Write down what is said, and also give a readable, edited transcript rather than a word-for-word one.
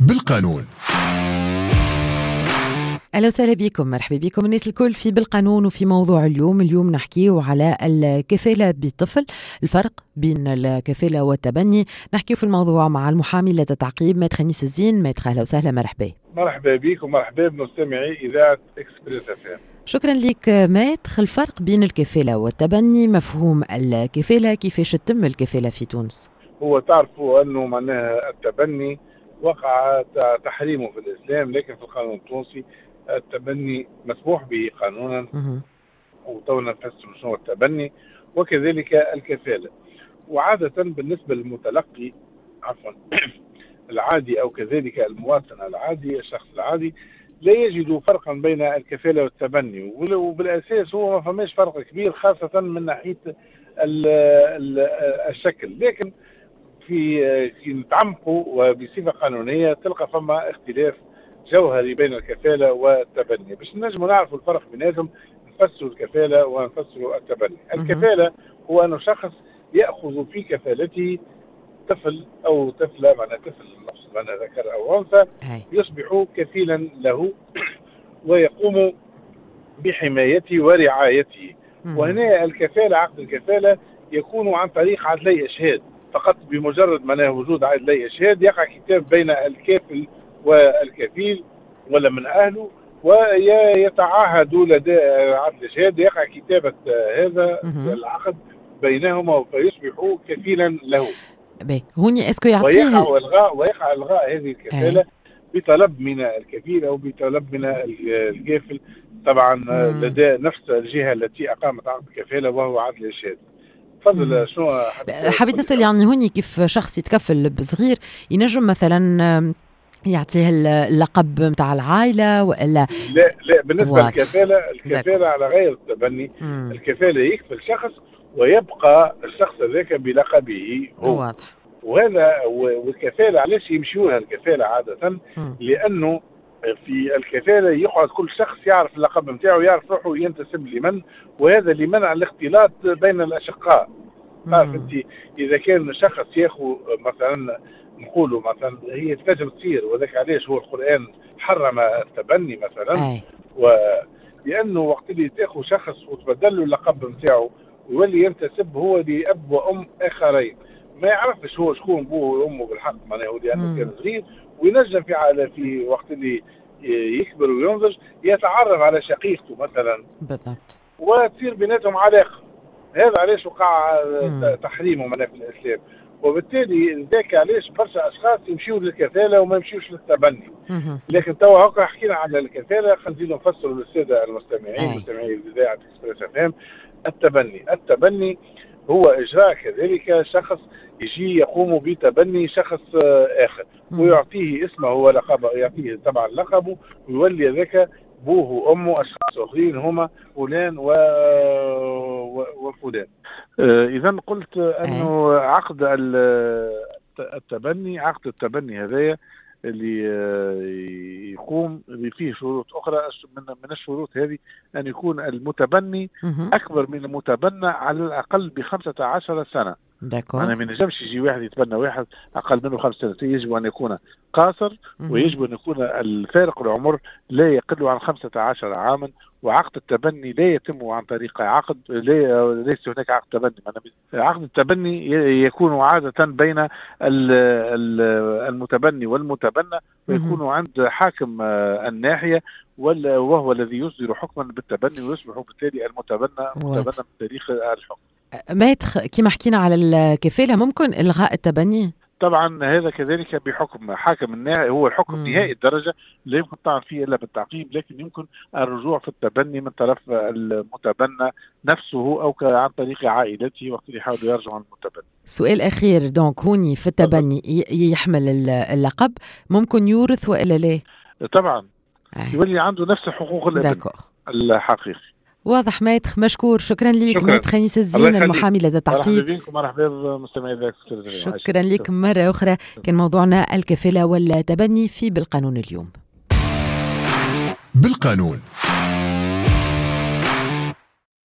بالقانون. اهلا وسهلا بكم، مرحبا بكم الناس الكل في بالقانون وفي موضوع اليوم. اليوم نحكيو على الكفالة بطفل، الفرق بين الكفالة والتبني. نحكيو في الموضوع مع المحامي لدى تعقيب maître أنيس الزين. maître اهلا وسهلا، مرحبا. مرحبا بك ومرحبا بمستمعي اذاعة Express FM. شكرا لك maître. الفرق بين الكفالة والتبني، مفهوم الكفالة، كيفاش تتم الكفالة في تونس؟ هو تعرفوا انه معناها التبني وقع تحريمه في الاسلام، لكن في القانون التونسي التبني مسموح به قانونا، وتونا نفسر شنو التبني وكذلك الكفالة. وعادة بالنسبة للمتلقي عفوا العادي أو كذلك المواطن العادي، الشخص العادي لا يجد فرقا بين الكفالة والتبني، وبالأساس هو ما فماش فرق كبير خاصة من ناحية الشكل، لكن في نتعمقوا وبصفة قانونية تلقى فما اختلاف جوهري بين الكفالة والتبني. باش نجموا نعرفوا الفرق بيناتهم نفسروا الكفالة ونفسروا التبني. الكفالة هو أن شخص يأخذ في كفالته طفل أو طفلة، معنى طفل معنى ذكر أو أنثى، يصبح كفيلا له ويقوم بحمايته ورعايته. وهنا الكفالة، عقد الكفالة يكون عن طريق عدلي إشهاد فقط. بمجرد معناه وجود عدلي إشهاد يقع كتاب بين الكافل والكفيل ولا من أهله، ويتعاهد لدى عدل الإشهاد، يقع كتابة هذا العقد بينهما فيصبح كفيلا له. هوني est-ce que يعطيه ويقع الغاء هذه الكفالة بطلب من الكفيل أو بطلب من الكافل، طبعا لدى نفس الجهة التي أقامت عقد الكفالة وهو عدل الإشهاد. تفضل. شنو حبيت نسأل، يعني هوني كيف شخص يتكفل بصغير ينجم مثلا يعطيه اللقب نتاع العائلة ولا لا؟ لا، بالنسبة للكفاله، الكفاله على غير التبني. الكفاله يكفل شخص ويبقى الشخص ذاك بلقبه هو. واضح. وهذا والكفاله علاش يمشيوها الكفاله عادة؟ لانه في الكفاله يقعد كل شخص يعرف اللقب نتاعو، يعرف روحه ينتسب لمن، وهذا لمنع الاختلاط بين الاشقاء. تعرف انت اذا كان شخص ياخذ مثلا، نقولوا مثلا هي تنجم تصير، وذاك علاش هو القرآن حرم التبني مثلا، ولأنه وقت اللي تاخذ شخص وتبدل له اللقب نتاعو ويولي ينتسب هو لأب وأم آخرين، ما يعرفش هو شكون بوه وأمه بالحق، معناه لأنه كان صغير، وينجم في وقت اللي يكبر وينضج يتعرف على شقيقته مثلا، بالضبط، وتصير بيناتهم علاقة. هذا علاش وقع تحريمه معناه في الإسلام، وبالتالي ذاك علاش برشا اشخاص يمشيوا للكفاله وما يمشيوش للتبني. لكن توا هكا حكينا على الكفاله، خلينا نزيدوا نفسروا للسادة المستمعين مستمعي اذاعة Express FM. التبني هو اجراء كذلك شخص يجي يقوم بتبني شخص اخر ويعطيه اسمه ولقبه، يعطيه طبعا لقبه، ويولي ذاك بوه وامه اشخاص اخرين هما فلان وفلان. اذا قلت انه عقد التبني، عقد التبني هذايا اللي يقوم فيه شروط اخرى، من الشروط هذه ان يكون المتبني اكبر من المتبنى على الاقل ب15 سنة. أنا ما نجمش يجي واحد يتبنى واحد أقل منه 5 سنوات، يجب أن يكون قاصر، ويجب أن يكون الفارق العمر لا يقل عن 15 عاما. وعقد التبني لا يتم عن طريق عقد، ليس هناك عقد تبني. عقد التبني يكون عادة بين المتبني والمتبنى، ويكون عند حاكم الناحية، وهو الذي يصدر حكما بالتبني، ويصبح بالتالي المتبنى متبنى من تاريخ الحكم. maître، كما حكينا على الكفالة، ممكن إلغاء التبني؟ طبعا هذا كذلك بحكم حاكم النهائي، هو الحكم نهائي الدرجة لا يمكن الطعن فيه إلا بالتعقيب، لكن يمكن الرجوع في التبني من طرف المتبنى نفسه أو عن طريق عائلته وقت اللي يحاولوا يرجعوا عن المتبني. سؤال أخير، donc هوني في التبني يحمل اللقب، ممكن يورث وإلا لا؟ طبعا يولي عنده نفس حقوق الابن الحقيقي. واضح maître، مشكور، شكرا لك maître أنيس الزين المحامي لدى التعقيب. مرحبا بكم، مرحبا بمستمعي. شكرا لك مرة أخرى. كان موضوعنا الكفالة والتبني في بالقانون اليوم. بالقانون.